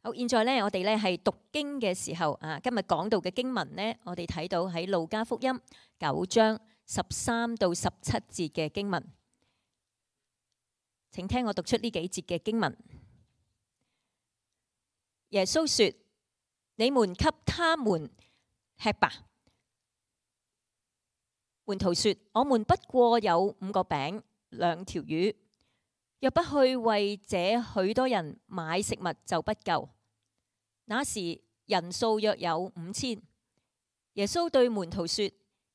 好，現在咧，我哋咧係讀經嘅時候啊，今日講到嘅經文呢，我哋睇到喺路加福音9章13到17節嘅經文。請聽我讀出呢幾節嘅經文。耶穌說：你們給他們吃吧。門徒說：我們不過有5個餅2條魚，若不去為這許多人買食物就不夠。那時人數約有5000。耶穌對門徒說：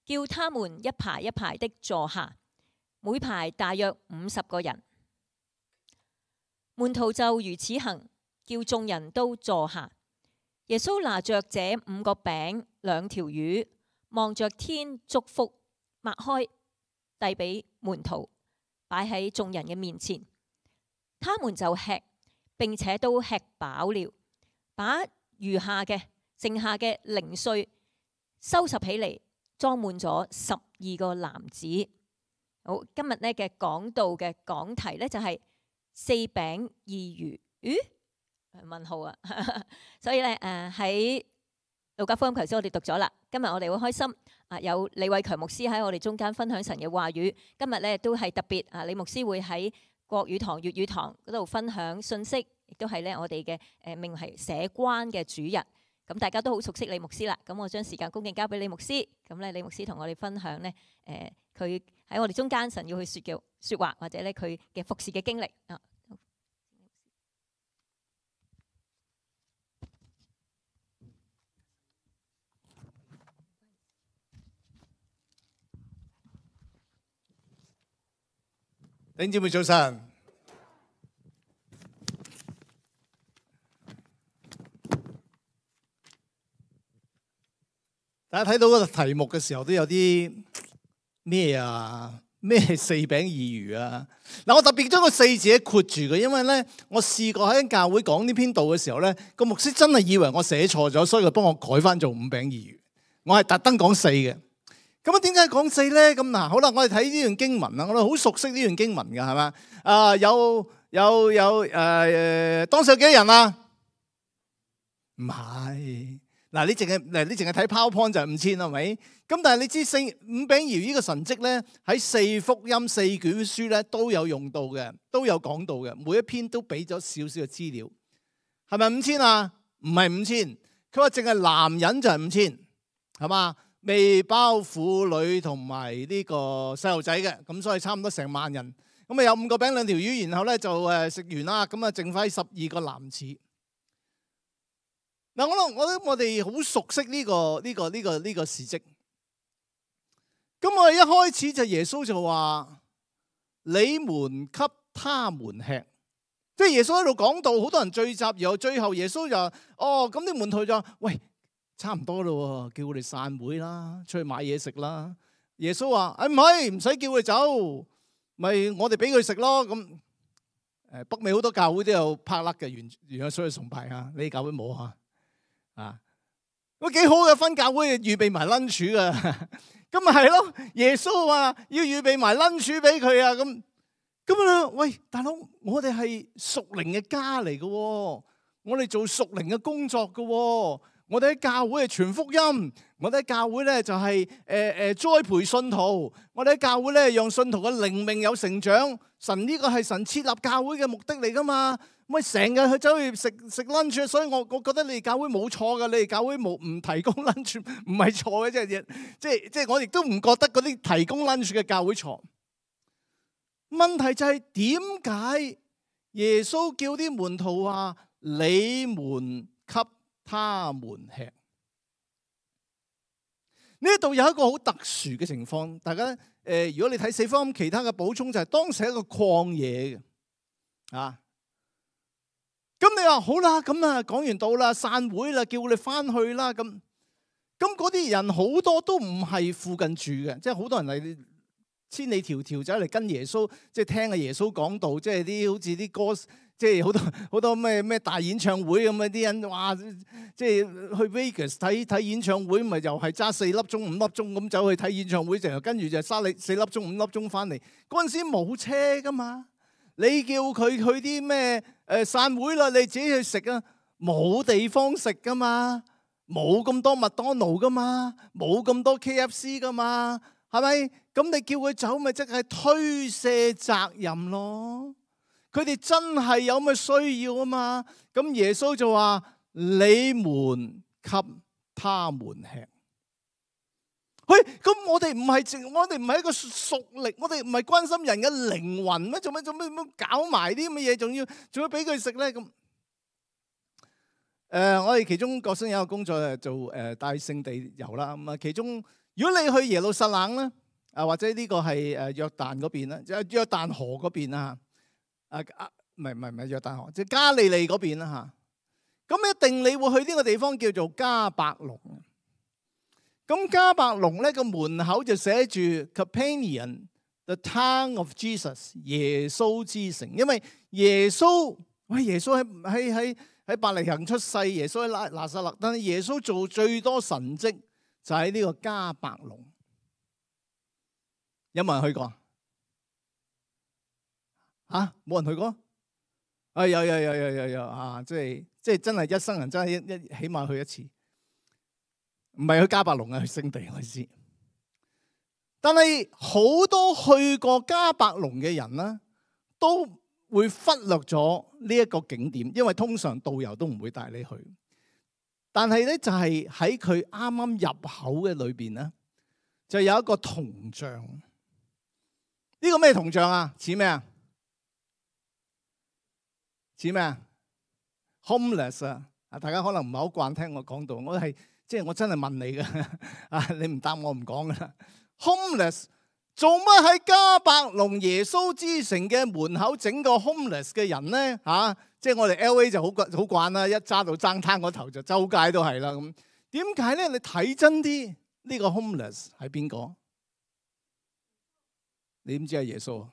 叫他們一排一排的坐下，每排大約50個人。門徒就如此行，叫眾人都坐下。耶穌拿着這5個餅2條魚，望着天祝福，擘開，遞俾門徒，擺喺眾人嘅面前。他們就吃，並且都吃飽了，把餘下嘅剩下嘅零碎收拾起嚟，裝滿咗12個籃子。好，今日呢嘅講道嘅講題呢，就係4餅2魚。問號啊！所以咧喺路加福音頭先我哋讀咗啦。今日我哋好開心啊，有李偉強牧師喺我哋中間分享神嘅話語。今日咧都係特別啊，李牧師會喺國語堂、粵語堂嗰度分享信息，亦都係咧我哋嘅命係社關嘅主日。咁大家都好熟悉李牧師啦。咁我將時間恭敬交俾李牧師。咁咧李牧師同我哋分享呢，佢喺我哋中間神要去說嘅說話，或者咧佢嘅服侍嘅經歷啊。弟兄姊妹早晨，大家睇到嗰個題目嘅時候都有啲咩啊？咩4餅2魚啊？嗱，我特別將個4字括住嘅，因為咧我試過喺教會講呢篇道嘅時候咧，個牧師真係以為我寫錯咗，所以佢幫我改翻做5餅2魚。我係特登講4嘅。咁啊，點解講4咧？咁嗱，好啦，我哋睇呢段經文啦，我哋好熟悉呢段經文㗎，係嘛？當時有幾多人啊？唔係，嗱，你淨係睇 PowerPoint 就係5000係咪？咁但係你知5餅2魚呢個神蹟咧，喺4福音4卷書咧都有用到嘅，都有講到嘅，每一篇都俾咗少少嘅資料。係咪5000啊？唔係5000，佢話淨係男人就係5000，係嘛？未包婦女同埋呢個細路仔嘅，咁所以差唔多成萬人。咁啊有5個餅2條魚，然後咧就食完啦，咁啊剩翻12個籃子。嗱，我哋好熟悉呢個事蹟。咁我哋一開始就耶穌就話：你們給他們吃。即係耶穌喺度講道，好多人聚集，然後最後耶穌就話：哦，咁啲門徒就話：喂，差唔多咯，叫我哋散會啦，出去買嘢食啦。耶穌話：唔係，唔使叫佢走，咪我哋俾佢食咯。咁北美好多教會都有拍甩嘅，原有所謂崇拜啊，你教會冇啊？咁幾好嘅，分教會預備埋 lunch 噶，咁咪係咯。耶穌話要預備埋 lunch 俾佢啊，咁啊，喂，大佬，我哋係屬靈嘅家嚟嘅，我哋做屬靈嘅工作嘅，我哋喺教會係傳福音，我哋喺教會咧就係栽培信徒，我哋喺教會咧讓信徒嘅靈命有成長。神呢個係神設立教會嘅目的嚟噶嘛？咪成日去走去食 lunch， 所以我覺得你哋教會冇錯噶，你哋教會唔提供 lunch 唔係錯嘅，即係我亦都唔覺得嗰啲提供 lunch 嘅教會錯。問題就係點解耶穌叫啲門徒話你們給他們吃？呢度有一個好特殊嘅情況，大家如果你睇4福音其他嘅補充就係當時係一個曠野嘅啊。咁你話好啦，咁啊講完道啦，散會啦，叫你翻去啦，咁嗰啲人好多都唔係附近住嘅，即係好多人係千里迢迢走嚟跟耶穌，即係聽阿耶穌講道，即係啲好似啲歌，即係好多咩大演唱會咁啊！啲人哇，即係去 Vegas 睇演唱會，咪又係揸4粒鐘5粒鐘咁走去睇演唱會，就跟住就揸你4粒鐘5粒鐘翻嚟。嗰陣時冇車噶嘛，你叫佢去啲咩散會啦，你自己去食啊，冇地方食噶嘛，冇咁多麥當勞噶嘛，冇咁多 KFC 噶嘛，係咪？咁你叫佢走，咪即係推卸責任咯。佢哋真係有咁嘅需要啊嘛。咁耶穌就話：你們給他們吃。喂，咁我哋唔係一個屬靈，我哋唔係關心人嘅靈魂咩？做咩搞埋啲咁嘅嘢，仲要俾佢食咧？咁我哋其中國生有一個工作係做帶聖地遊啦。咁啊，其中如果你去耶路撒冷咧，或者呢個係約旦嗰邊啦，即係約旦河嗰邊啦嚇。唔係約旦河，即係加利利嗰邊啦嚇。咁一定你會去呢個地方叫做迦百農。咁迦百農咧個門口就寫住 Capernaum the town of Jesus， 耶穌之城。因為耶穌喺伯利恆出世，耶穌喺拿撒勒，但係耶穌做最多神蹟就喺呢個迦百農。有冇人去過啊？冇人去過？有啊！即係真係一生人真係起碼去一次。唔係去迦百農啊，去聖地我知。但係好多去過迦百農嘅人呢，都會忽略咗呢一個景點，因為通常導遊都唔會帶你去。但係咧就係喺佢啱啱入口嘅裏邊咧，就有一個銅像。呢個咩銅像啊？似咩啊？似咩啊 ？Homeless 啊！大家可能唔係好慣聽我講到，我真係問你嘅，你唔答我唔講噶啦。Homeless 做乜喺迦百農耶穌之城嘅門口整個 homeless 嘅人咧？即係我哋 LA 就好慣啦，一揸到爭灘嗰頭就周街都係啦。咁點解咧？你睇真啲，呢個 homeless 係邊個？你點知係耶穌啊？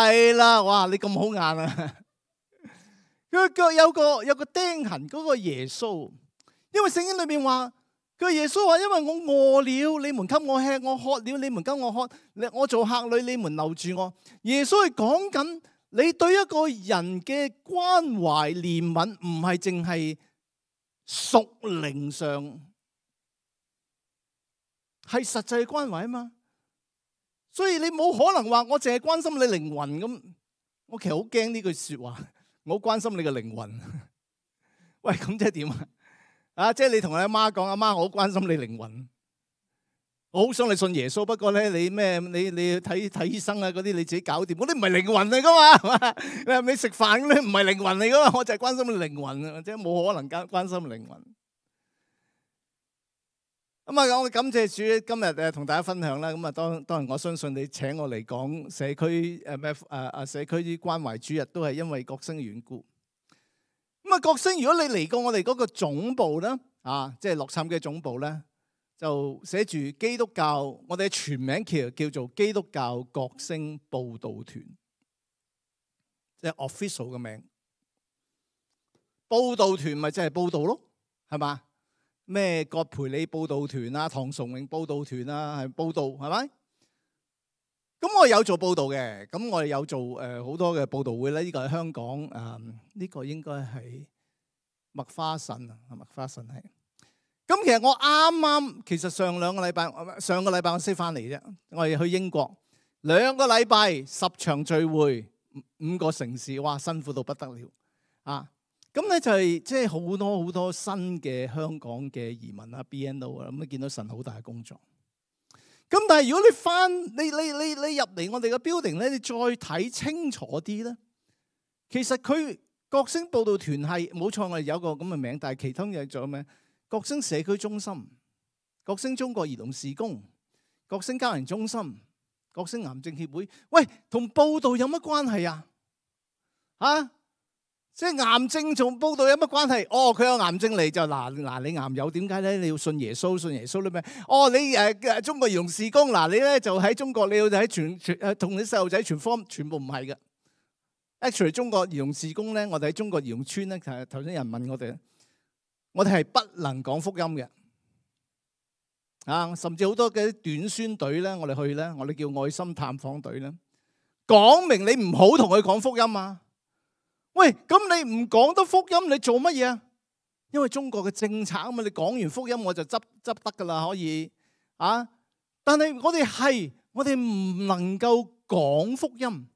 係啦，哇！你咁好眼啊！佢腳有個釘痕，嗰個耶穌。因為聖經裏面話，佢耶穌話：因為我餓了，你們給我吃；我渴了，你們給我喝；我做客旅，你們留住我。耶穌係講緊你對一個人嘅關懷憐憫，唔係淨係屬靈上，係實際關懷啊嘛。所以你冇可能話我淨係關心你靈魂咁。我其實好驚呢句說話，我好關心你嘅靈魂。喂，咁即係點啊？即係你同你阿媽講，阿媽，我好關心你靈魂，我好想你信耶穌。不過咧，你睇醫生啊嗰啲，你自己搞掂。嗰啲唔係靈魂嚟噶嘛，係嘛？你食飯嗰啲唔係靈魂嚟噶嘛？我就係關心你靈魂啊，即係冇可能關心靈魂。咁啊，我感謝主今日同大家分享啦。咁啊，當然我相信你請我嚟講社區社區啲關懷主日，都係因為國星嘅緣故。咁啊，國星，如果你嚟過我哋嗰個總部咧，即係洛杉磯嘅總部咧，就寫住基督教，我哋嘅全名叫做基督教國星佈道團，即係 official 嘅名。佈道團咪即係佈道咯，係嘛？咩葛培理佈道團啊，唐崇榮佈道團啊，係佈道係咪？咁我有做佈道嘅，咁我哋有做好多嘅佈道會咧。呢個係香港呢個應該係麥花臣啊，麥花臣係。咁其實我其實上個禮拜我先翻嚟啫。我哋去英國2個禮拜10場聚會，5個城市，哇，辛苦到不得了啊！咁咧就係即係好多新嘅香港嘅移民啊 BNO 啊，咁見到神好大嘅工作。咁但係如果你入嚟我哋嘅 building 咧，你再睇清楚啲咧，其實佢國星佈道團係冇錯，我哋有個咁嘅名，但係其他嘢仲有咩？國星社區中心、國星中國兒童事工、國星家庭中心、國星癌症協會，喂，同佈道有乜關係啊？即係癌症同佈道有乜關係？哦，佢有癌症嚟就嗱，你癌友點解咧？你要信耶穌咧咩？哦，你中國兒童事工嗱，你咧就喺中國，你要喺同啲細路仔傳福音，全部唔係嘅。Actually， 中國兒童事工咧，我哋喺中國兒童村咧，頭先有人問我哋係不能講福音嘅。甚至好多嘅短宣隊咧，我哋去咧，我哋叫愛心探訪隊咧，講明你唔好同佢講福音啊！喂，咁你唔講得福音，你做乜嘢啊？因為中國嘅政策啊嘛，你講完福音我就執得噶啦，可以啊。但係我哋唔能夠講福音，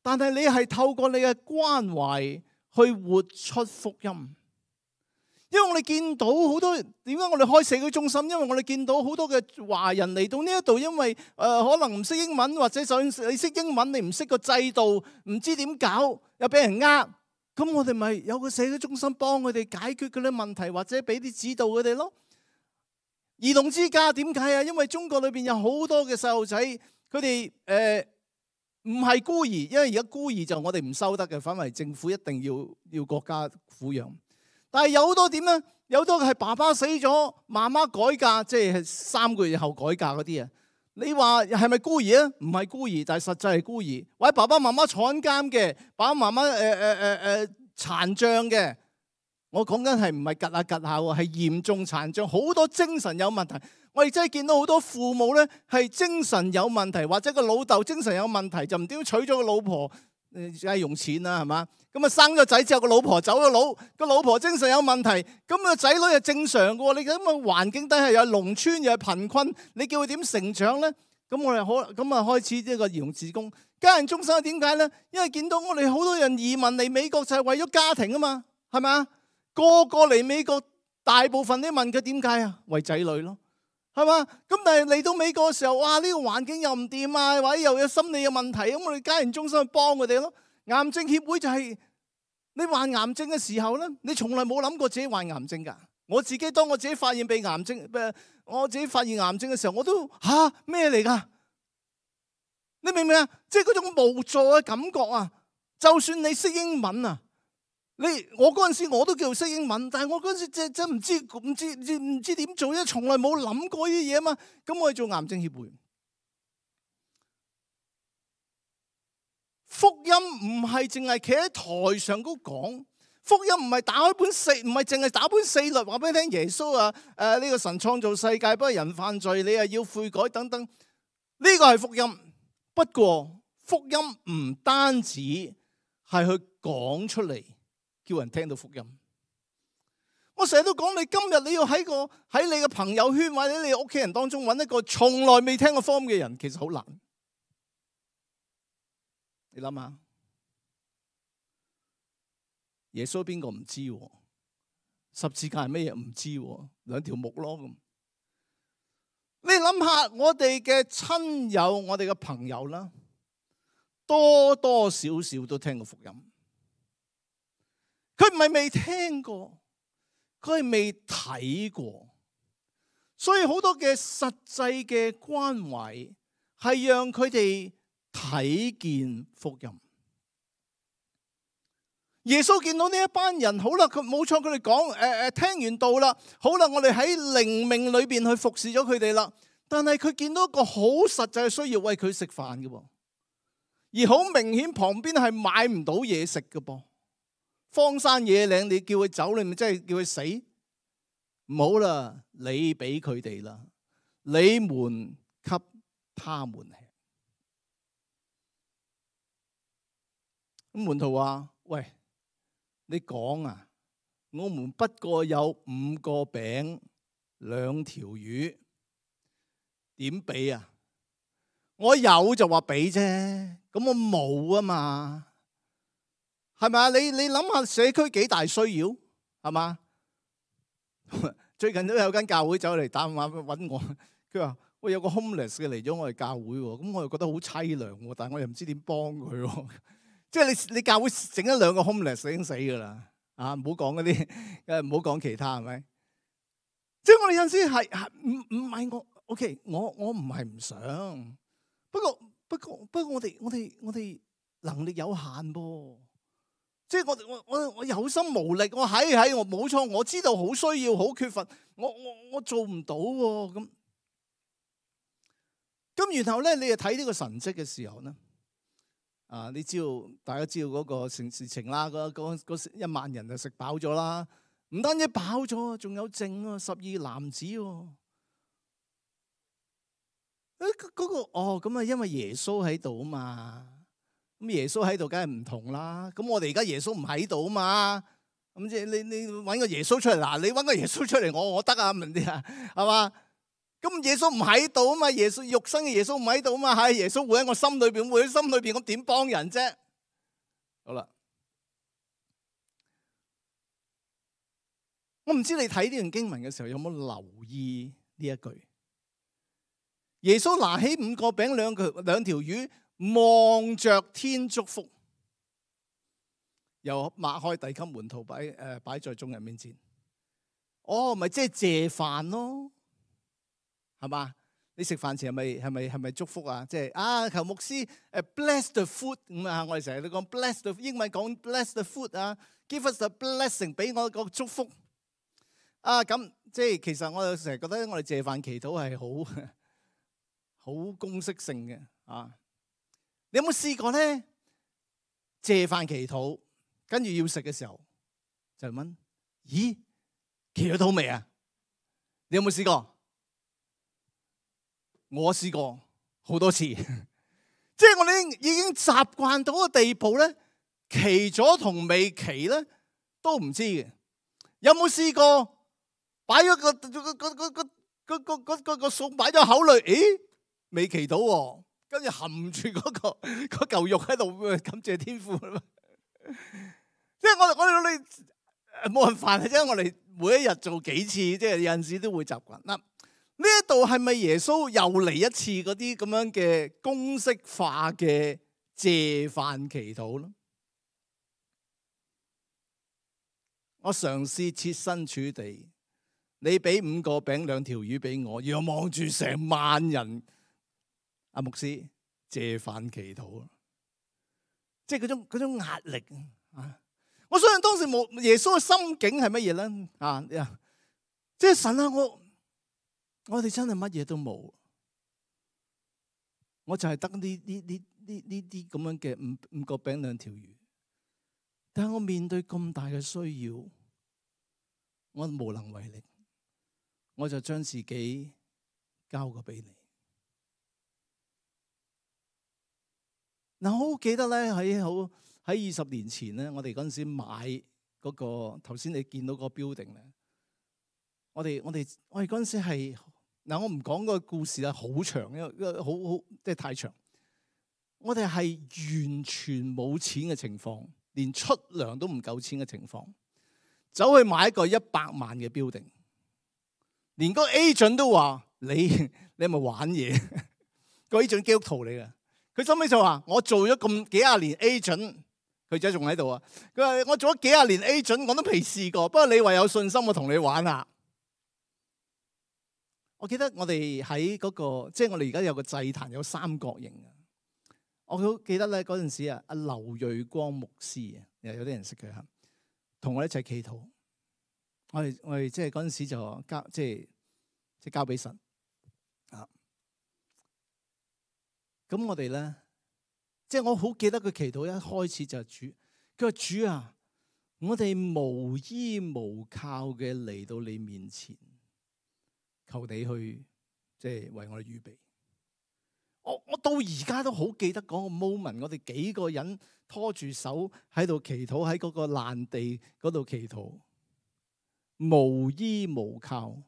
但係你係透過你嘅關懷去活出福音。因為我哋見到好多，點解我哋開社區中心？因為我哋見到好多嘅華人嚟到呢一度，因為可能唔識英文，或者就算你識英文，你唔識個制度，唔知點搞，又俾人呃。咁我哋咪有個社區中心幫佢哋解決嗰啲問題，或者俾啲指導佢哋咯。兒童之家點解啊？因為中國裏邊有好多嘅細路仔，佢哋唔係孤兒，因為而家孤兒就我哋唔收得嘅，反為政府一定要國家撫養。但係有好多點咧？有好多係爸爸死咗，媽媽改嫁，即係3個月後改嫁嗰啲啊。你話係咪孤兒啊？唔係孤兒，但係實際係孤兒。或者爸爸媽媽坐緊監嘅，爸爸媽媽殘障嘅。我講緊係唔係趌下趌下喎，係嚴重殘障，好多精神有問題。我哋真係見到好多父母咧係精神有問題，或者個老豆精神有問題，就唔點娶咗個老婆，梗係用錢啦，係嘛？咁啊生咗仔之後，個老婆走咗佬，個老婆精神有問題，咁個仔女係正常嘅喎。你咁嘅環境底下又係農村又係貧困，你叫佢點成長咧？咁我哋開始呢個兒童事工家人中心係點解咧？因為見到我哋好多人移民嚟美國就係為咗家庭啊嘛，係咪？個個嚟美國，大部分啲問佢點解啊？為仔女咯，係嘛？咁但係嚟到美國嘅時候，哇！呢個環境又唔掂啊，或者又有心理嘅問題，咁我哋家人中心去幫佢哋咯。癌症協會就係你患癌症嘅時候咧，你從來冇諗過自己患癌症㗎。當我自己發現我自己發現癌症嘅時候，我都咩嚟㗎？你明唔明啊？即係嗰種無助嘅感覺啊！就算你識英文啊。我嗰陣時我都叫識英文，但係我嗰陣時真唔知點做，因為從來冇諗過呢啲嘢啊嘛。咁我去做癌症協會，福音唔係淨係企喺台上高講，福音唔係唔係淨係打本4律話俾你聽，耶穌呢個神創造世界，不過人犯罪，你係要悔改等等，呢個係福音。不過福音唔單止係去講出嚟，叫人聽到福音。我成日都講，你今日你要喺你嘅朋友圈或者你屋企人當中揾一個從來未聽過福音嘅人，其實好難。你諗下，耶穌邊個唔知？十字架係咩嘢唔知？2條木咯咁。你諗下，我哋嘅親友、我哋嘅朋友啦，多多少少都聽過福音。佢唔係未聽過，佢係未睇過，所以好多嘅實際嘅關懷係讓佢哋睇見福音。耶穌見到呢一班人，好啦，佢冇錯，佢哋講聽完道啦，好啦，我哋喺靈命裏邊去服侍咗佢哋啦。但係佢見到一個好實際嘅需要，餵佢食飯嘅噃，而好明顯旁邊係買唔到嘢食嘅噃。荒山野嶺，你叫佢走，你咪真係叫佢死？唔好啦，你俾佢哋啦，你們給他們吃。咁門徒話：喂，你講啊，我們不過有5個餅2條魚，點俾啊？我有就話俾啫，咁我冇啊嘛。係咪啊？你諗下社區幾大需要，係嘛？最近都有間教會走嚟打電話揾我，佢話：喂，有個 homeless 嘅嚟咗我哋教會喎，咁我又覺得好凄涼喎，但係我又唔知點幫佢喎。即係你教會整1-2個 homeless 已經死㗎啦，唔好講嗰啲，唔好講其他，係咪？即係我哋有陣時係唔係我 OK，我唔係唔想，不過我哋能力有限噃。即係我有心無力，我冇錯，我知道好需要，好缺乏，我做唔到喎。咁然後咧，你又睇呢個神蹟嘅時候咧，你知道大家知道嗰個事情啦，嗰1萬人就食飽咗啦，唔單止飽咗，仲有剩12男子喎。咁啊，因為耶穌喺度啊嘛。咁咁耶穌喺度，梗係唔同啦。咁我哋而家耶穌唔喺度啊嘛。咁即係你揾個耶穌出嚟，嗱你揾個耶穌出嚟，我得啊，明唔明啊？係嘛？咁耶穌唔喺度啊嘛，耶穌肉身嘅耶穌唔喺度啊嘛，係耶穌活喺我心裏邊，活喺心裏邊，咁點幫人啫？好啦，我唔知你睇呢段經文嘅時候有冇留意呢一句？耶穌拿起5個餅兩條魚，望着天祝福，又擘開遞給門徒擺在眾人面前。哦，咪即係謝飯咯，係嘛？你食飯前係咪祝福啊？即係求牧師bless the food 咁啊！我哋成日都講 bless the 英文講 bless the food 啊 ，give us the blessing 俾我個祝福啊！咁即係其實我成日覺得我哋謝飯祈禱係好公式性嘅啊！你有冇試過咧？謝飯祈禱，跟住要食嘅時候就問：咦，祈咗禱未啊？你有冇試過？我試過好多次，即係我哋已經習慣到個地步咧，祈咗同未祈咧都唔知嘅。有冇試過擺咗個餸擺咗口裏？咦，未祈到喎，跟住含住嗰嚿肉喺度感謝天父。即係我哋冇辦法嘅啫，我哋每一日做幾次，即係有陣時都會習慣嗱。呢一度係咪耶穌又嚟一次嗰啲咁樣嘅公式化嘅謝飯祈禱咧？我嘗試設身處地，你俾5個餅2條魚俾我，要望住成萬人，阿牧師謝飯祈禱，即係嗰種壓力啊！我相信當時耶穌嘅心境係乜嘢咧？啊，即係神啊，我哋真係乜嘢都冇，我就係得呢啲咁樣嘅5個餅2條魚，但係我面對咁大嘅需要，我無能為力，我就將自己交過俾你。嗱，我好記得咧，喺20年前咧，我哋嗰陣時買嗰個頭先你見到個 building 咧，我哋嗰陣時係。嗱，我唔講個故事啦，好長，因為好即係太長。我哋係完全冇錢嘅情況，連出糧都唔夠錢嘅情況，走去買一個100萬嘅 building，連個 agent 都話你係咪玩嘢？個 agent 基督徒嚟嘅，佢收尾就話我做咗咁幾廿年 agent， 佢仔仲喺度啊！佢話我做咗幾廿年 agent， 我都未試過。不過你話有信心，我同你玩下。我記得我哋喺嗰個，即係我哋而家有個祭壇有3角形啊！我好記得咧嗰陣時啊，阿劉瑞光牧師啊，有啲人識佢嚇，同我一齊祈禱。我哋即係嗰陣時就交即係交俾神啊！咁我哋咧，即係我好記得佢祈禱一開始就係主，佢話主啊，我哋無依無靠嘅嚟到你面前。求你去即係為我哋預備。我到而家都好記得嗰個 moment， 我哋幾個人拖住手喺度祈禱，喺嗰個爛地嗰度祈禱，無依無靠。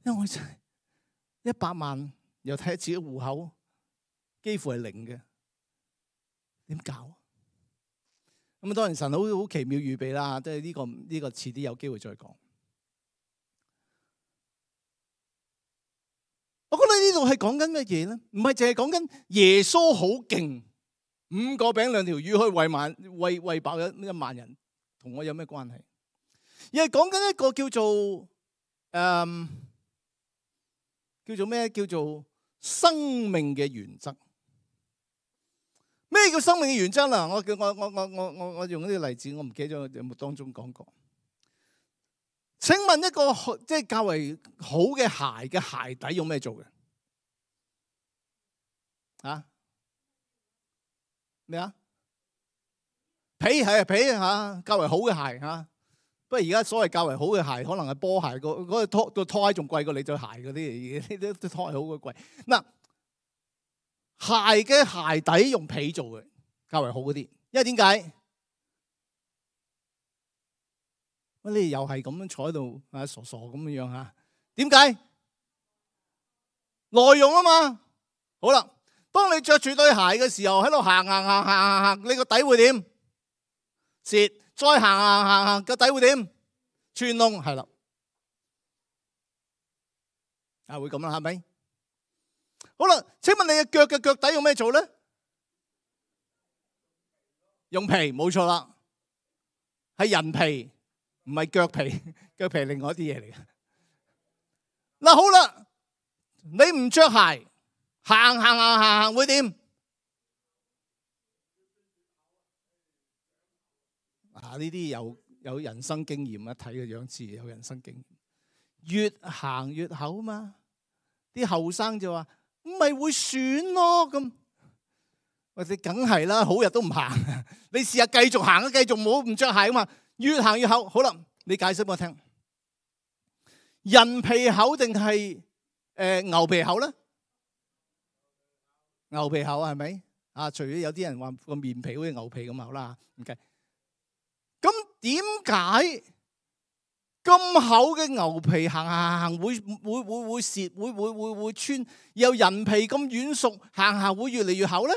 因為我真係100萬，又睇下自己戶口幾乎係0嘅，點搞？咁當然神好奇妙預備啦，即係呢個遲啲有機會再講。我覺得呢度係講緊乜嘢咧？唔係淨係講緊耶穌好勁，5個餅2條魚可以餵飽1萬人，同我有咩關係？而係講緊一個叫做咩？叫做生命嘅原則。咩叫生命嘅原則啦？我用呢個例子，我唔記得咗有冇當中講過。請問一個即係較為好嘅鞋嘅鞋底用咩做嘅？咩啊？皮係皮嚇，較為好嘅鞋嚇。不過而家所謂較為好嘅鞋，可能係波鞋，嗰個拖鞋仲貴過你對鞋嗰啲，啲拖鞋好鬼貴。嗱，鞋嘅鞋底用皮做嘅，較為好嗰啲，因為點解？你哋又係咁樣坐喺度啊，傻傻咁樣樣嚇？點解？內容啊嘛。好啦，當你着住對鞋嘅時候，喺度行，你個底會點？蝕。再行，個底會點？穿窿，係啦。會咁啦，係咪？好啦，請問你嘅腳底用咩做咧？用皮，冇錯啦，係人皮，唔係腳皮。腳皮係另外一啲嘢嚟嘅。嗱，好啦，你唔着鞋，行會點？呢啲有人生經驗，一睇個樣子有人生經驗。越行越厚嘛，啲後生就話唔係會損咯咁。或者梗係啦，好日都唔行，你試下繼續行啊，繼續唔着鞋啊嘛，越行越厚。好啦，你解釋俾我聽，人皮厚定係牛皮厚咧？牛皮厚係咪？除咗有啲人話個面皮好似牛皮咁厚啦，唔計。咁點解咁厚嘅牛皮行會蝕，會穿？又人皮咁軟熟，行會越嚟越厚咧？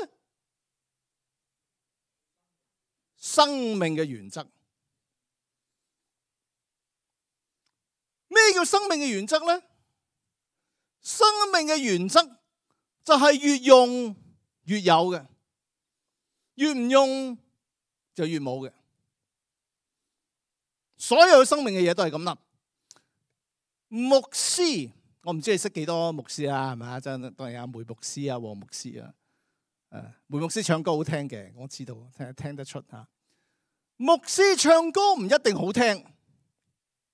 生命嘅原則。咩叫生命嘅原則咧？生命嘅原則就係越用越有嘅，越唔用就越冇嘅。所有生命嘅嘢都係咁啦。牧師，我唔知你識幾多牧師啊？係咪啊？真係當然有梅牧師啊、黃牧師啊。梅牧師唱歌好聽嘅，我知道，聽得出嚇。牧師唱歌唔一定好聽，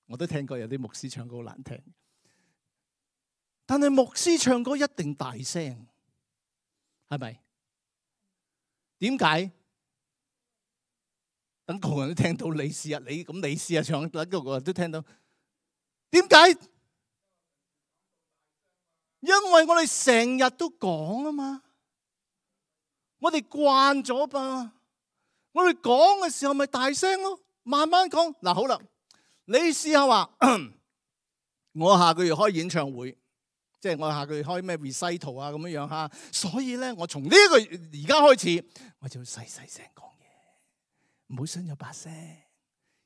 我都聽過有啲牧師唱歌好難聽。但係牧師唱歌一定大聲，係咪？點解？等個個人都聽到，你試下你試下唱，等個個人都聽到。點解？因為我哋成日都講啊嘛，我哋慣咗吧。我哋講嘅時候咪大聲咯，慢慢講。嗱，好啦，你試下話，我下個月開演唱會，即係我下個月開咩 recital 啊咁樣樣嚇。所以咧，我從呢個月而家開始，我就要細細聲講嘢，唔好傷咗把聲。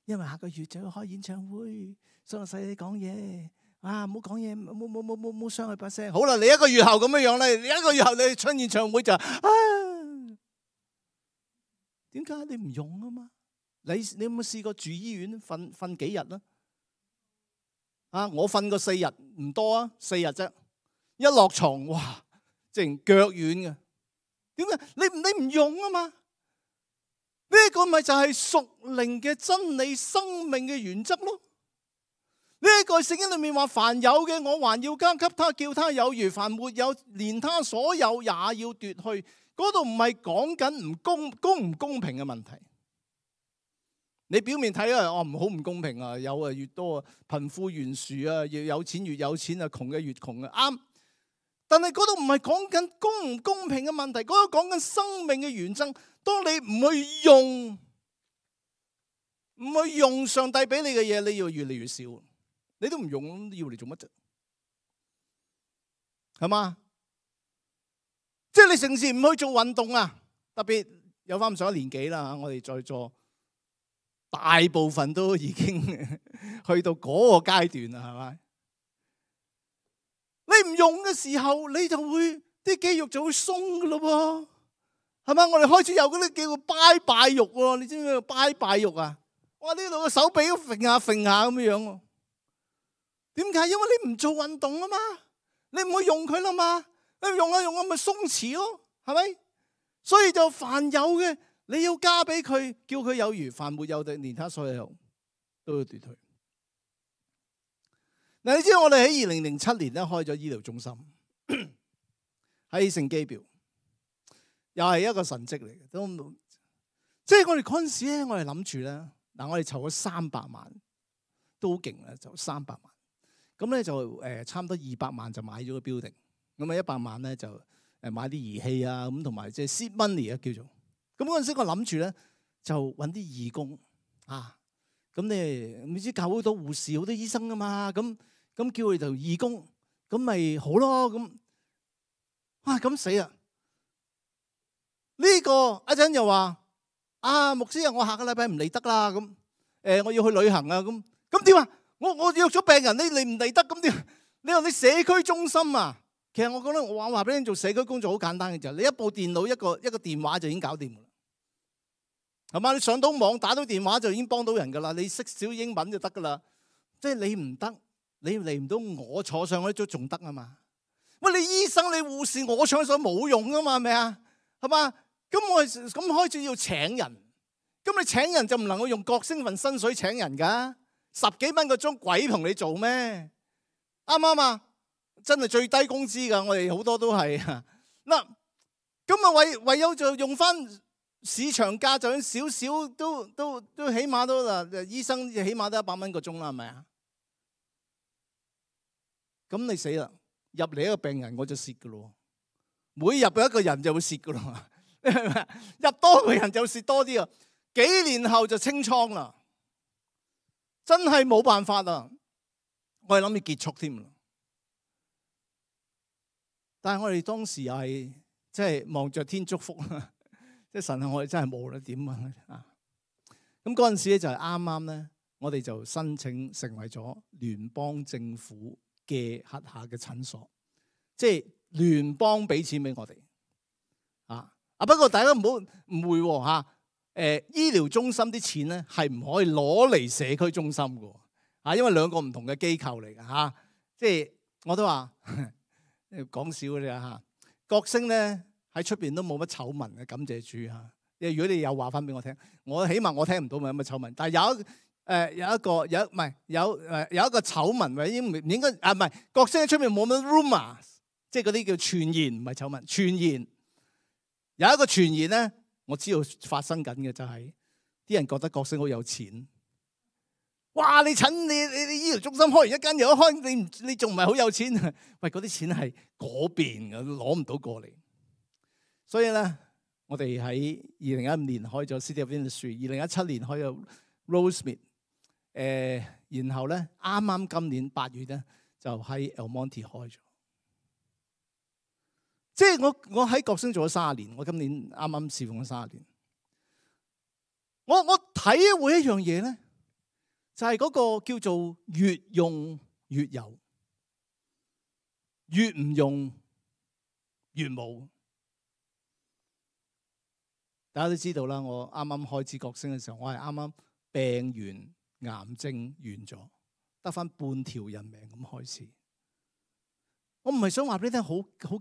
因為下個月就要開演唱會，所以我細細講嘢。唔好講嘢，冇傷佢把聲。好啦，你一個月後咁樣樣咧，你一個月後你出演唱會就點解你唔用啊嘛？你有冇試過住醫院瞓幾日啦？我瞓過4日，唔多啊，4日啫。一落床，哇，即係腳軟嘅。點解？你唔用啊嘛？呢個咪就係屬靈嘅真理、生命嘅原則咯。呢個聖經裏面話，凡有嘅我還要加給他，叫他有餘；凡沒有，連他所有也要奪去。嗰度唔係講緊公唔公平嘅問題。你表面睇啊，唔好唔公平啊，有啊越多啊，貧富懸殊啊，越有錢越有錢啊，窮嘅越窮啊，啱。但係嗰度唔係講緊公唔公平嘅問題，嗰度講緊生命嘅原則。當你唔去用上帝俾你嘅嘢，你要越嚟越少。你都唔用，要嚟做乜啫？係嘛？即係你成時唔去做運動啊！特別有翻咁上下年紀啦，我哋在座大部分都已經去到嗰個階段啦，係咪？你唔用嘅時候，你就會啲肌肉就會鬆噶咯喎，係嘛？我哋開始有嗰啲叫做拜拜肉喎，你知唔知拜拜肉啊？哇！呢度個手臂都揈下揈下咁樣喎。點解？因為你唔做運動啊嘛，你唔去用佢啦嘛，你用下咪鬆弛咯，係咪？所以就凡有嘅你要加俾佢，叫佢有餘；凡沒有的，連他所有都要奪去。嗱，你知道我哋喺2007年咧開咗醫療中心喺聖基表，又係一個神蹟嚟嘅。都即係我哋嗰陣時咧，我哋諗住咧，嗱，我哋籌咗300萬，都好勁啦，就300萬。咁咧就差唔多200萬就買咗個 building，咁啊100萬咧就買啲儀器啊，咁同埋即係 seed money 啊叫做。咁嗰陣時我諗住咧就揾啲義工啊。咁你唔知教會好多護士、好多醫生噶嘛？咁叫佢做義工，咁咪好咯。咁死啦！呢個一陣又話牧師啊，我下個禮拜唔嚟得啦。我要去旅行啊。咁點啊？我約咗病人，你唔嚟得，咁點？你話你社區中心啊？其實我覺得我話俾你做社區工作好簡單嘅啫，你一部電腦一個電話就已經搞掂㗎啦，係嘛？你上到網打到電話就已經幫到人㗎啦，你識少英文就得㗎啦。即係你唔得，你嚟唔到，我坐上去都仲得啊嘛。喂，你醫生你護士，我坐上去冇用㗎嘛，係咪啊？係嘛？咁我咁開始要請人，咁你請人就唔能夠用角星份薪水請人㗎，10幾蚊個鐘鬼同你做咩？啱唔啱啊？真係最低工資㗎，我哋好多都係嗱。咁啊唯有就用翻市場價，就少少都起碼都嗱，醫生起碼都100蚊個鐘啦，係咪啊？咁你死啦！入嚟一個病人我就蝕㗎咯，每入一個人就會蝕㗎咯，入多個人就蝕多啲啊！幾年後就清倉啦，真係冇辦法啦，我係諗住結束添啦。但係我哋當時又係即係望着天祝福啦，即係神係我哋真係冇啦點啊！咁嗰陣時咧就係啱啱咧，我哋就申請成為咗聯邦政府嘅轄下嘅診所，即係聯邦俾錢俾我哋不過大家唔好誤會喎醫療中心啲錢咧係唔可以攞嚟社區中心嘅因為兩個唔同嘅機構嚟嘅即係我都話講笑嘅啫角星咧喺出邊都冇乜醜聞嘅，感謝主因為如果你有話翻俾我聽，我起碼我聽唔到咪有乜醜聞，但係有一個醜聞，或者唔應該唔係角星喺出邊冇乜 rumor， 即係嗰啲叫傳言，唔係醜聞，傳言有一個傳言咧，我知道發生緊嘅就係啲人覺得角星好有錢。哇！你醫療中心開完一間又一開，你仲唔係好有錢？喂，嗰啲錢係嗰邊嘅，攞唔到過嚟。所以咧，我哋喺2015年開咗 City of Industry，2017年開咗 Rosemead，然後咧啱啱今年8月咧就喺 El Monte 開咗。即係我喺角星做咗30年，我今年啱啱侍奉咗30年。我體會一樣嘢咧。就係嗰個叫做越用越有，越唔用越冇。大家都知道啦，我啱啱開始角星嘅時候，我係啱啱病完，癌症完咗，得翻半條人命咁開始。我唔係想話俾你聽好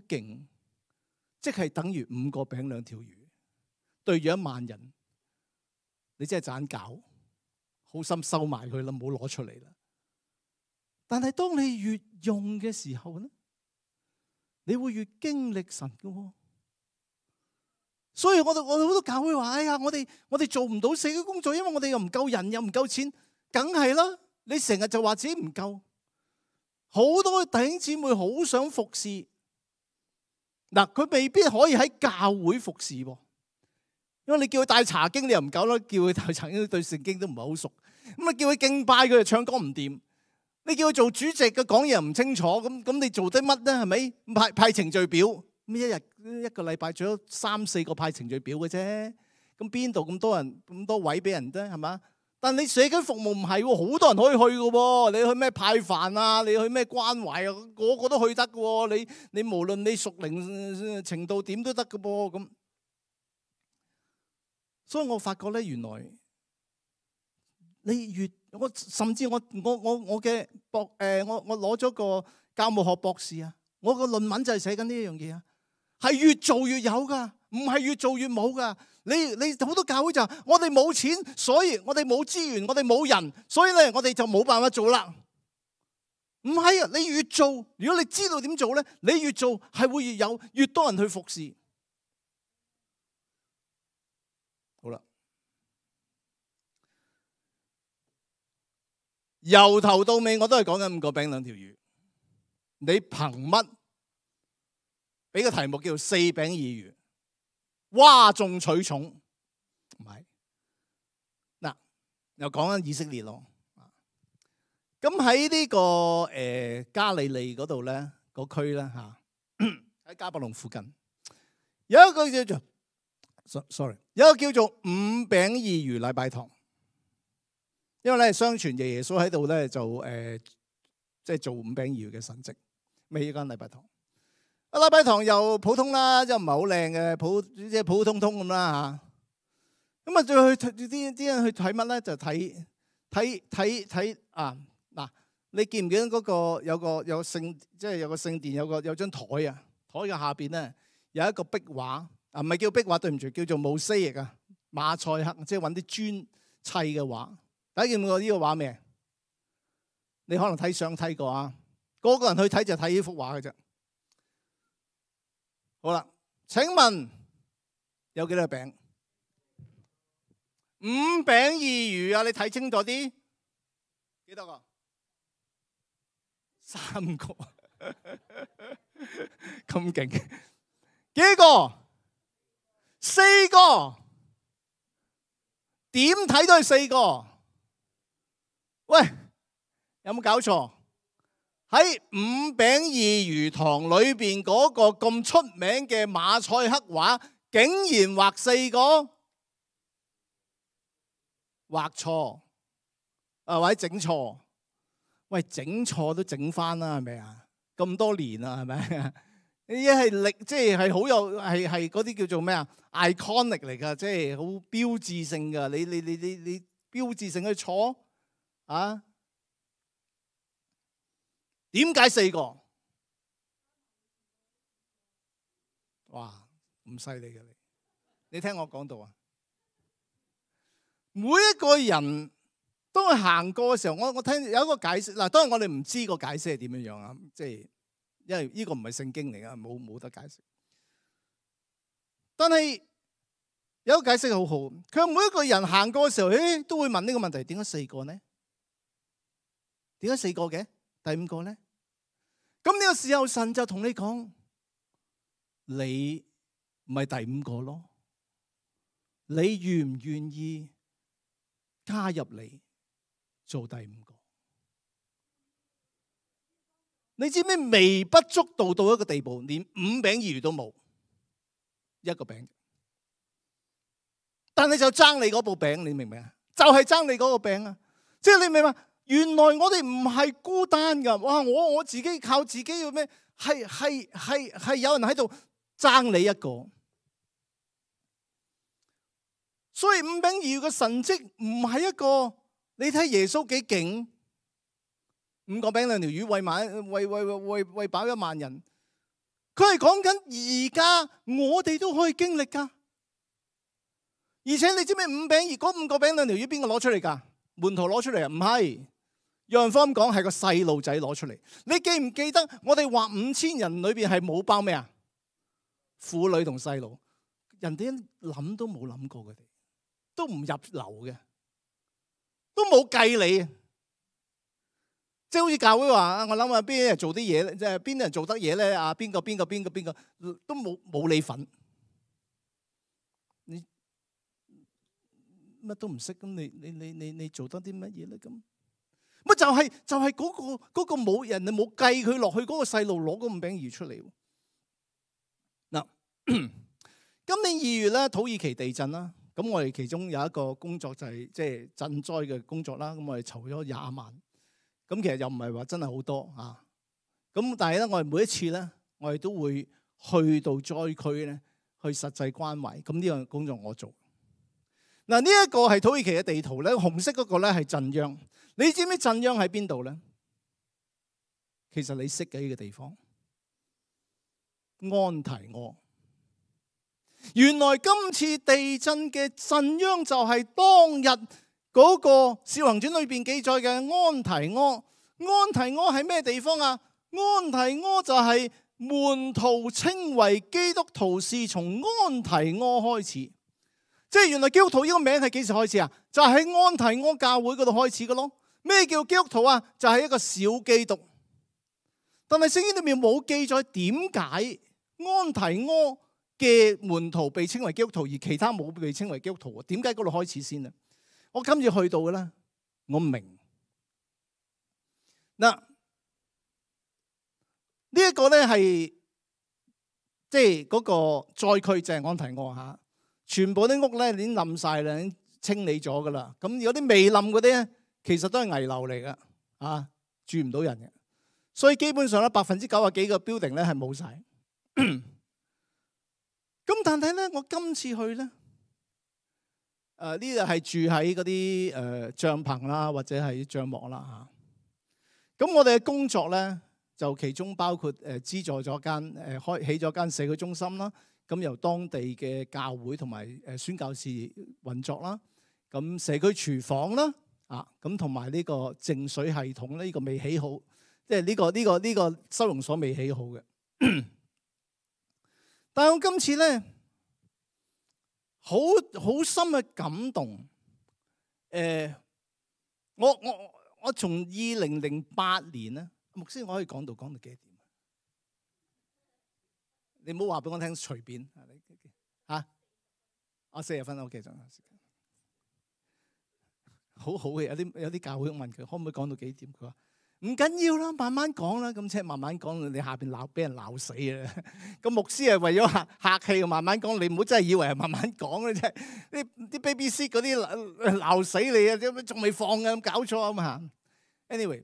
勁，即係等於5個餅2條魚對住1萬人，你真係盞搞。好心收埋佢啦，唔好攞出嚟啦。但係當你越用嘅時候咧，你會越經歷神嘅。所以我哋好多教會話：哎呀，我哋做唔到社區工作，因為我哋又唔夠人，又唔夠錢。梗係啦，你成日就話自己唔夠。好多弟兄姊妹好想服侍，嗱，佢未必可以喺教會服侍喎。因為你叫佢帶查經，你又唔夠啦；叫佢帶查經，對聖經都唔係好熟。咁啊，叫佢敬拜，佢就唱歌唔掂。你叫佢做主席嘅講嘢又唔清楚，咁你做啲乜咧？係咪派程序表？咁一個禮拜做咗3、4個派程序表嘅啫。咁邊度咁多人咁多位俾人啫？係嘛？但你社區服務唔係喎，好多人可以去嘅喎。你去咩派飯啊？你去咩關懷啊？個個都去得嘅喎。你無論你屬靈程度點都得嘅噃咁。所以我發覺咧，原來你甚至我嘅我攞咗個教務學博士啊，我個論文就係寫緊呢一樣嘢啊，係越做越有噶，唔係越做越冇噶。你好多教會就話我哋冇錢，所以我哋冇資源，我哋冇人，所以咧我哋就冇辦法做啦。唔係啊，你越做，如果你知道點做咧，你越做係會越有，越多人去服侍。好啦，由頭到尾我都係講緊5個餅2條魚。你憑乜俾個題目叫做4餅2魚，嘩眾取寵？唔係。嗱，又講緊以色列咯。咁喺呢個加利利嗰度咧，個區咧嚇，喺迦百農附近有一個叫做有一個叫做五餅二魚禮拜堂。因為咧，相傳耶穌喺度咧就即係做五餅二魚嘅神蹟，未呢間禮拜堂。禮拜堂又普通啦，即係唔係好靚嘅，即係普普通通咁啦嚇。咁啊，再去啲人去睇乜咧？就睇啊！嗱，你見唔見嗰個有聖，即係有個聖殿，有張台啊？台嘅下邊咧有一個壁畫啊，唔係叫壁畫，對唔住，叫做mosaic啊，馬賽克，即係揾啲磚砌嘅畫。大家見過呢個畫未？你可能睇相睇過啊。個個人去睇就睇呢幅畫嘅啫。好啦，請問有幾多個餅？五餅二魚啊！你睇清楚啲，幾多個？3個，咁勁？幾個？4個。點睇都係4個。喂，有冇搞錯？喺五餅二魚堂裏邊嗰個咁出名嘅馬賽克畫，竟然畫4個，畫錯啊，或者整錯。喂，整錯都整翻啦，係咪啊？咁多年啦，係咪？呢啲係歷，即係好有係嗰啲叫做咩啊 ？iconic 嚟㗎，即係好標誌性㗎。你標誌性去錯啊？點解4個？哇，咁犀利嘅你！你聽我講到啊，每一個人當佢行過嘅時候，我聽有一個解釋嗱，當然我哋唔知個解釋係點樣樣啊，即係因為呢個唔係聖經嚟㗎，冇得解釋。但係有一個解釋好好，佢話每一個人行過嘅時候，都會問呢個問題：點解4個呢？點解4個嘅？第5個呢？咁呢個時候神就同你講：你唔係第5個咯，你願唔願意加入嚟做第5個？你知唔知微不足道到一個地步，連5餅2魚都冇一個餅，但係就爭你嗰部餅，你明唔明啊？就係爭你嗰個餅啊！即係你明嘛？原來我哋唔係孤單噶，哇！我自己靠自己要咩？係有人喺度爭你一個。所以五餅二魚嘅神蹟唔係一個，你睇耶穌幾勁，5個餅2條魚餵飽1萬人。佢係講緊而家我哋都可以經歷噶。而且你知唔知5個餅2條魚邊個攞出嚟噶？門徒攞出嚟啊？唔係。約翰福音講係個細路仔攞出嚟。你記唔記得我哋話5000人裏邊係冇包咩啊？婦女同細路，人哋諗都冇諗過，佢哋都唔入流嘅，都冇計你。即係好似教會話，我諗下邊啲人做啲嘢咧，即係邊啲人做得嘢咧？啊，邊個都冇你份，你乜都唔識，咁你做得啲乜嘢咧？咁乜就係嗰個冇人，你冇計佢落去嗰個細路攞嗰5餅2魚出嚟。嗱，今年2月咧，土耳其地震啦，咁我哋其中有一個工作就係即係賑災嘅工作啦。咁我哋籌咗20萬，咁其實又唔係話真係好多啊。咁但係咧，我哋每一次咧，我哋都會去到災區咧，去實際關懷。咁呢樣工作我做。嗱，呢一個係土耳其嘅地圖咧，紅色嗰個咧係震央。你知唔知震央喺邊度咧？其實你識嘅呢個地方，安提阿。原來今次地震嘅震央就係當日嗰個《使徒行傳》裏邊記載嘅安提阿。安提阿係咩地方啊？安提阿就係門徒稱為基督徒是從安提阿開始。即係原來基督徒呢個名係幾時開始啊？就係喺安提阿教會嗰度開始嘅咯。咩叫基督徒啊？就係一個小基督。但係聖經裏面冇記載點解安提阿嘅門徒被稱為基督徒，而其他冇被稱為基督徒？點解嗰度開始先呢？我今次去到嘅咧，我明嗱，呢一個咧係即係嗰個災區，就係安提阿嚇，全部啲屋咧已經冧晒啦，已經清理咗噶啦。咁有啲未冧嗰啲咧，其實都係危樓嚟噶，啊，住唔到人嘅。所以基本上咧，90%幾個 building 咧係冇晒。咁但係咧，我今次去咧，呢度係住喺嗰啲帳篷啦，或者係帳幕啦嚇。咁我哋嘅工作咧，就其中包括資助咗間開起咗間社區中心啦。咁由當地嘅教會同埋宣教士運作啦。咁社區廚房啦，咁同埋呢個淨水系統咧，呢個未起好，即係呢個收容所未起好嘅。但係我今次咧，好深嘅感動。我從2008年咧，牧師我可以講到幾點？你唔好話俾我聽隨便嚇。40分 OK 仲有時間。好好嘅，有啲教會問佢可唔可以講到幾點？佢話唔緊要啦，慢慢講啦。咁即係慢慢講，你下邊俾人鬧死啊！咁牧師係為咗客氣，慢慢講。你唔好真係以為係慢慢講咧，啫。啲 BBC 嗰啲鬧死你啊！點仲未放嘅咁搞錯啊嘛。Anyway，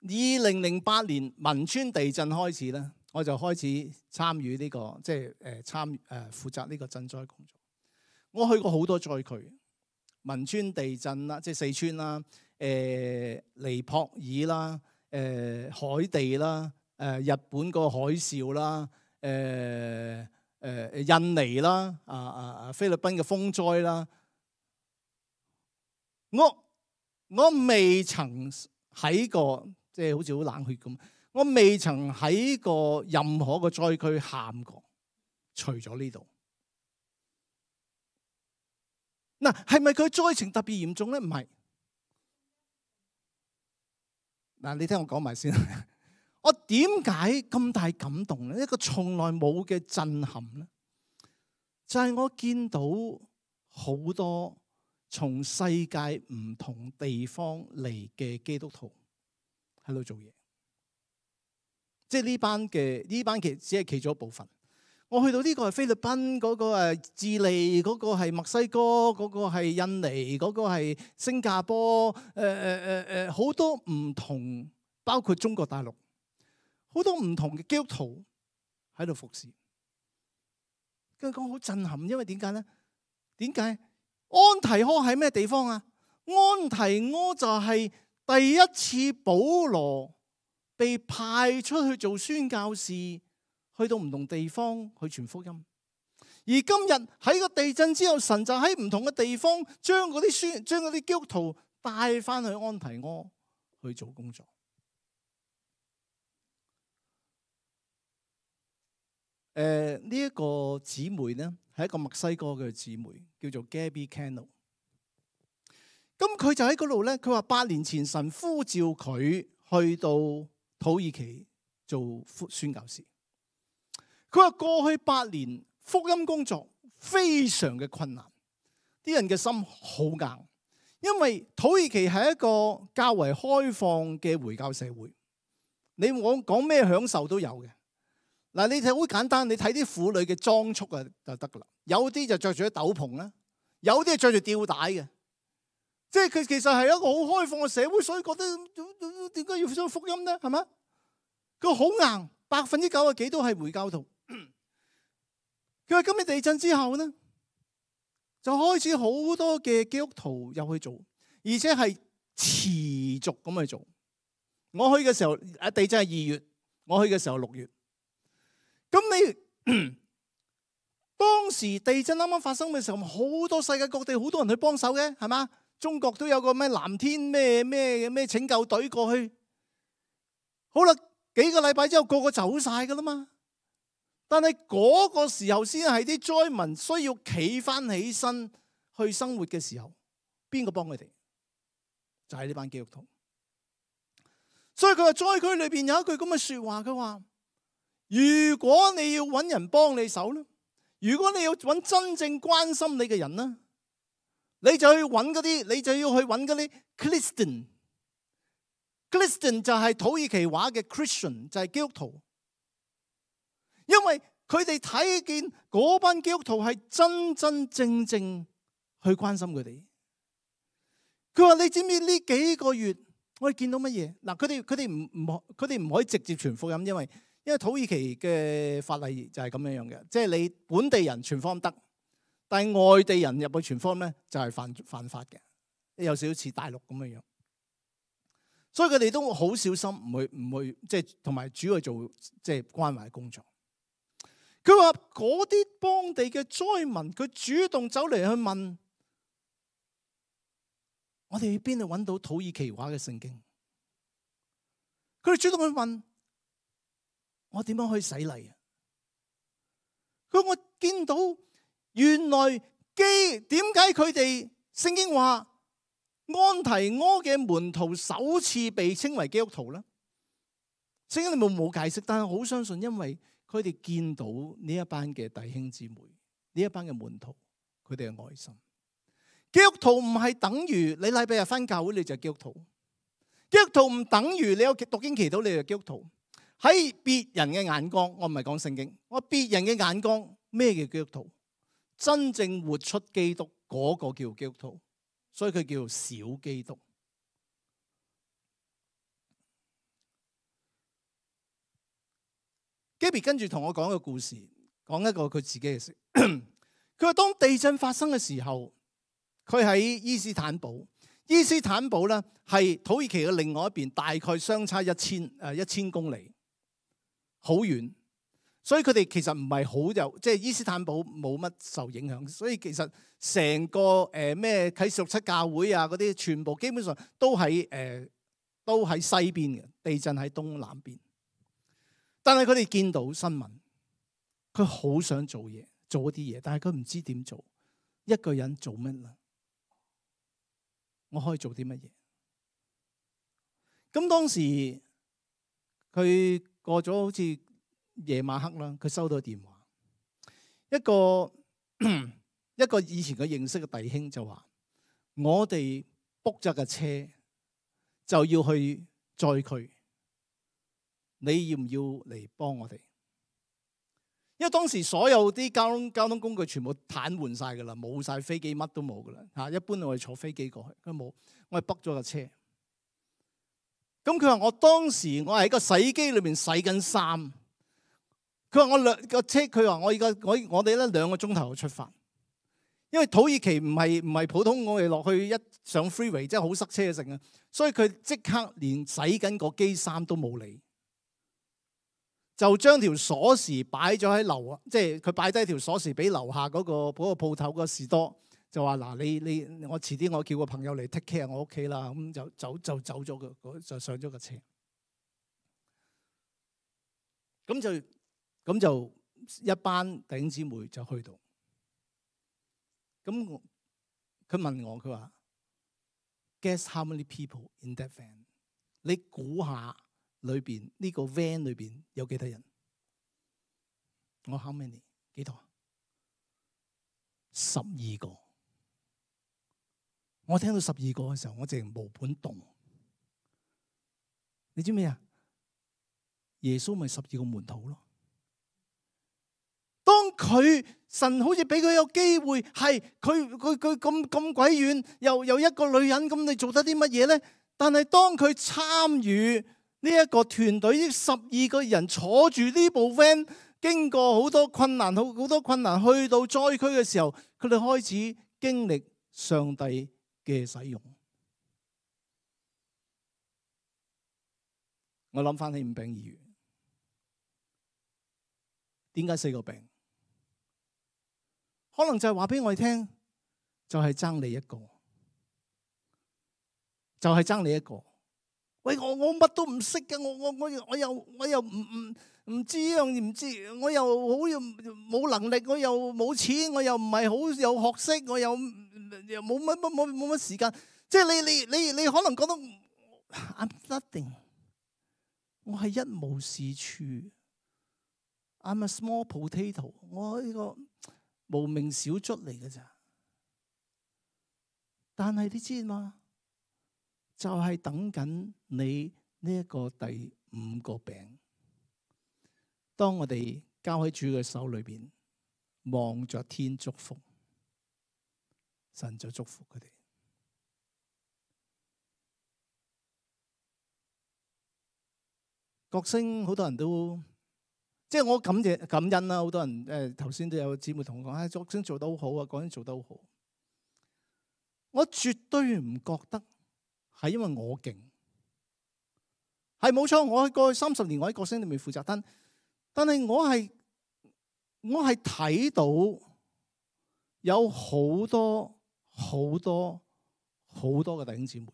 2008年汶川地震開始咧，我就開始參與呢個即係負責呢個賑災工作。我去過好多災區。汶川地震啦，即係四川啦，尼泊爾啦，海地啦，日本個海嘯啦，印尼啦，菲律賓嘅風災啦，我未曾喺過，即係好似好冷血咁，我未曾喺過任何個災區喊過，除咗呢度。嗱，係咪佢災情特別嚴重咧？唔係。嗱，你聽我講埋先。我點解咁大感動咧？一個從來冇嘅震撼咧，就係我見到好多從世界唔同地方嚟嘅基督徒喺度做嘢。即係呢班其實只係其中一部分。我去到呢個係菲律賓，嗰個係智利，嗰個係墨西哥，嗰個係印尼，嗰個係新加坡，好多唔同，包括中國大陸，好多唔同嘅基督徒喺度服侍。跟住講好震撼，因為點解咧？點解安提阿係咩地方啊？安提阿就係第一次保羅被派出去做宣教士，去到唔同地方去傳福音，而今日喺個地震之後，神就喺唔同嘅地方將嗰啲基督徒帶翻去安提阿去做工作。呢一個姊妹呢，係一個墨西哥嘅姊妹，叫做 Gabby Cano。咁佢就喺嗰度呢，佢話8年前神呼召佢去到土耳其做宣教士。佢話過去8年福音工作非常嘅困難，啲人嘅心好硬，因為土耳其係一個較為開放嘅回教社會，你我講咩享受都有嘅。嗱，你睇好簡單，你睇啲婦女嘅裝束啊就得噶啦，有啲就着住啲斗篷啦，有啲係着住吊帶嘅，即係佢其實係一個好開放嘅社會，所以覺得點解要講福音咧？係咪？佢好硬，90%幾都係回教徒。佢話今日地震之後呢，就開始好多嘅基督徒入去做，而且係持續咁去做。我去嘅時候，地震係2月，我去嘅時候6月。咁你當時地震啱啱發生嘅時候，好多世界各地好多人去幫手嘅，係嘛？中國都有個咩藍天咩拯救隊過去。好啦，幾個禮拜之後，個個走晒噶啦嘛。但係嗰個時候先係啲災民需要企翻起身去生活嘅時候，邊個幫佢哋？就係呢班基督徒。所以佢話災區裏邊有一句咁嘅說話，佢話如果你要揾人幫你手咧，如果你要揾真正關心你嘅人咧，你就去揾嗰啲，你就要去揾嗰啲 Christian。Christian 就係土耳其話嘅 Christian， 就係基督徒。因為佢哋睇見嗰班基督徒係真真正正去關心佢哋。佢話：你知唔知呢幾個月我哋見到乜嘢？嗱，佢哋唔可以直接傳福音，因為土耳其嘅法例就係咁樣樣嘅，即係你本地人傳福音得，但係外地人入去傳福音咧就係犯法嘅，有少少似大陸咁樣樣。所以佢哋都好小心，唔會即係同埋主要做即係關懷工作。佢話嗰啲當地嘅災民，佢主動走嚟去問我哋去邊度揾到土耳其話嘅聖經。佢哋主動去問我點樣可以洗禮啊？佢話我見到原來點解佢哋聖經話安提阿嘅門徒首次被稱為基督徒咧？聖經你冇解釋，但係好相信，因為佢哋見到呢一班嘅弟兄姊妹，呢一班嘅門徒，佢哋嘅愛心。基督徒唔係等於你禮拜日返教會你就係基督徒，基督徒唔等於你有讀經祈禱你就係基督徒。喺別人嘅眼光，我唔係講聖經，我別人嘅眼光咩叫基督徒？真正活出基督嗰個叫基督徒，所以佢叫小基督。Gaby 跟住同我講一個故事，講一個佢自己嘅事。佢話當地震發生嘅時候，佢喺伊斯坦堡。伊斯坦堡咧係土耳其嘅另外一邊，大概相差1000公里，好遠。所以佢哋其實唔係好有，即係伊斯坦堡冇乜受影響。所以其實成個咩啟示錄7教會啊嗰啲，全部基本上都喺西邊嘅，地震喺東南邊。但係佢哋見到新聞，佢好想做嘢，做一啲嘢，但係佢唔知點做。一個人做乜啦？我可以做啲乜嘢？咁當時佢過咗好似夜晚黑啦，佢收到電話，一個以前佢認識嘅弟兄就話：我哋 book 咗架車就要去載佢。你要唔要嚟幫我哋？因為當時所有啲交通工具全部癱瘓晒噶啦，冇晒飛機，乜都冇噶啦嚇。一般我哋坐飛機過去，佢冇，我係 book 咗架車。咁佢話我當時我係喺個洗機裏邊洗緊衫。佢話佢話我哋咧2個鐘頭出發，因為土耳其唔係普通我哋落去一上 freeway 即係好塞車嘅城啊，所以佢即刻連洗緊個機衫都冇理。就將條鎖匙擺咗喺樓啊，即係佢擺低條鎖匙俾樓下嗰個鋪頭個士多，就話嗱你我遲啲我叫個朋友嚟 take care 我屋企啦，咁就走咗就上咗個車，咁就一班弟兄姊妹就去到，咁佢問我，佢話 Guess how many people in that van？ 你估下？裏邊呢個 van 裏邊有幾多人？我 how many 幾多？12個。我聽到12個嘅時候，我淨係毛管戙。你知咩啊？耶穌咪12個門徒咯。當神好似俾佢有機會，係佢咁鬼遠，又一個女人，咁你做得啲乜嘢咧？但係當佢參與呢一個團隊，呢12個人坐住呢部 van， 經過好多困難，去到災區嘅時候，佢哋開始經歷上帝嘅使用。我諗翻起5餅2魚，點解4個餅？可能就係話俾我哋聽，就係爭你一個，就係爭你一個。喂，我乜都唔識嘅，我又唔知呢樣唔知，我又好冇能力，我又冇錢，我又唔係好有學識，我又冇乜時間。即係你可能覺得 I'm nothing， 我係一無是處。I'm a small potato， 我呢個無名小卒嚟嘅咋。但係你知嘛？就係等緊你呢一個第5個餅。當我哋交喺主嘅手裏邊，望着天祝福，神就祝福佢哋。角聲好多人都，即係我感恩啦。好多人頭先都有姊妹同我講，角聲做得好好啊，角聲做得好好。我絕對唔覺得係因為我勁，係冇錯。我喺過去30年，我喺角聲裏面負責，但係我係睇到有好多嘅弟兄姊妹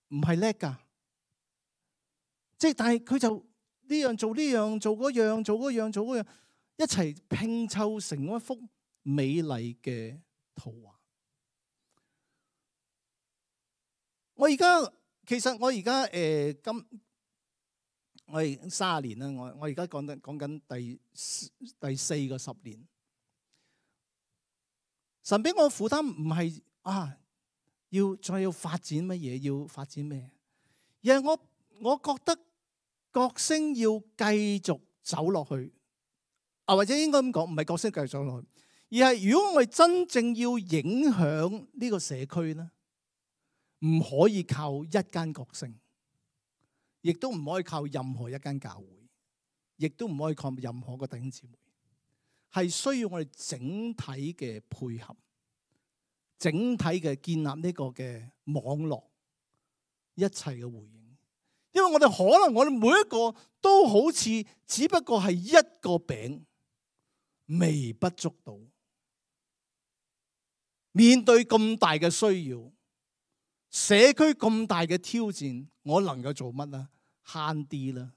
唔係叻㗎，即係但係佢就呢樣做呢樣，做嗰樣，做嗰樣，做嗰樣，一齊拼湊成一幅美麗嘅圖畫。我而家我係30年啦，我而家講緊第4個10年。神俾我負擔唔係再要發展乜嘢，要發展咩？而係我覺得角聲要繼續走落去，或者應該咁講，唔係角聲繼續走落去，而係如果我哋真正要影響呢個社區咧，唔可以靠一間角聲，亦都唔可以靠任何一間教會，亦都唔可以靠任何個弟兄姊妹，係需要我哋整體嘅配合。整體嘅建立呢個嘅網絡，一切嘅回應，因為我哋可能我哋每一個都好似只不過係一個餅，微不足道。面對咁大嘅需要，社區咁大嘅挑戰，我能夠做乜啊？慳啲啦。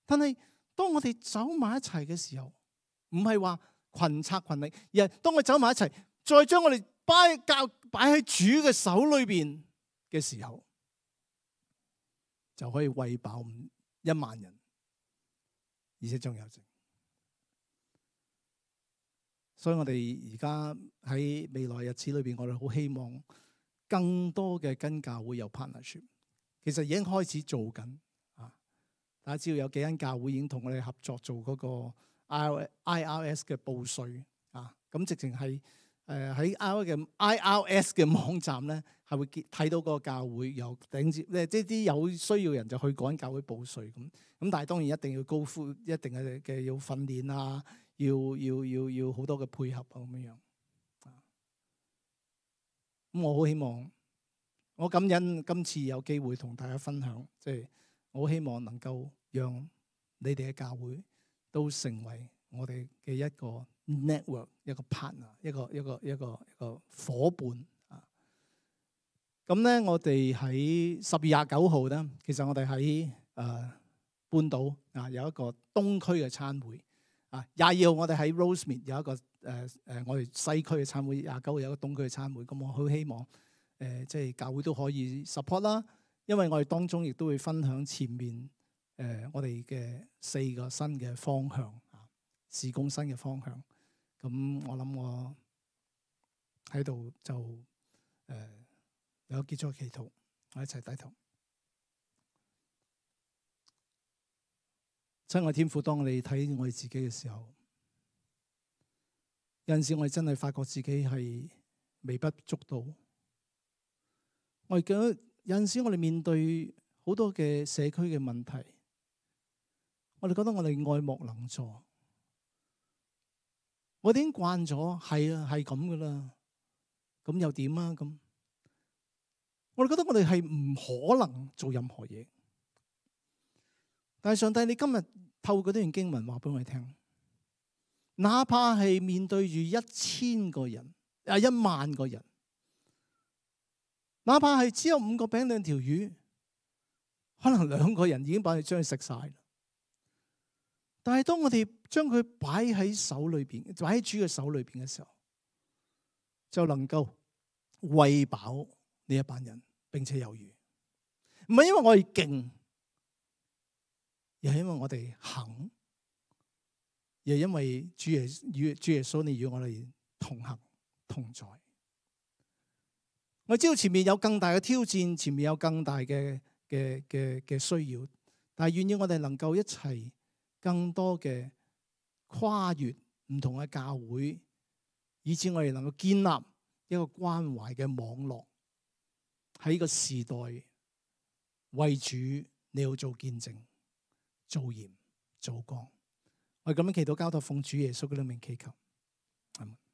但係當我哋走埋一齊嘅時候，唔係話群策群力，而係當我哋走埋一齊，再將我哋擺喺主嘅手裏邊嘅時候，就可以餵飽1萬人，而且仲有剩。所以我哋而家喺未來日子裏邊，我哋好希望更多嘅跟教會有 partnership。其實已經開始做緊啊！大家知道有幾間教會已經同我哋合作做嗰個 IRS 嘅報稅啊，咁直情係喺 IRS 嘅網站咧，係會睇到嗰個教會有頂接咧，即係啲有需要人就去嗰間教會報稅咁。但係當然一定要高呼，一定嘅要訓練啊，要好多嘅配合啊咁樣。咁我好希望，我感恩今次有機會同大家分享，即係我好希望能夠讓你哋嘅教會都成為我哋嘅一個 network， 一個 partner， 一個夥伴啊。咁咧，我哋喺10月29號咧，其實我哋喺半島啊有一個東區嘅餐會啊。22號我哋喺 Rosemead 有一個我哋西區嘅餐會，29號有一個東區嘅餐會。咁我好希望即係教會都可以 support 啦，因為我哋當中亦都會分享前面我哋嘅4個新嘅方向啊，事工新嘅方向。咁我諗我喺度就有結束祈禱，我一齊低頭。親愛天父，當我哋睇我哋自己嘅時候，有陣時我哋真係發覺自己係微不足道。我哋覺得有陣時我哋面對好多嘅社區嘅問題，我哋覺得我哋愛莫能助。我哋已經慣咗，係啊，係咁噶啦，咁又點啊？咁我哋覺得我哋係唔可能做任何嘢。但係上帝，你今日透過呢段經文話俾我哋聽，哪怕係面對住1000個人1萬個人，哪怕係只有5個餅2條魚，可能2個人已經把你將佢食晒。但係當我哋將佢擺喺手裏邊，擺喺主嘅手裏邊嘅時候，就能夠餵飽呢一班人，並且有餘。唔係因為我哋勁，又係因為我哋肯，又係因為主耶穌你與我哋同行同在。我知道前面有更大嘅挑戰，前面有更大嘅需要，但係願意我哋能夠一齊更多嘅跨越唔同嘅教會，以致我哋能夠建立一個關懷嘅網絡，喺呢個時代為主你要做見證、做鹽、做光。我哋咁樣祈禱交託奉主耶穌嘅名祈求，阿們。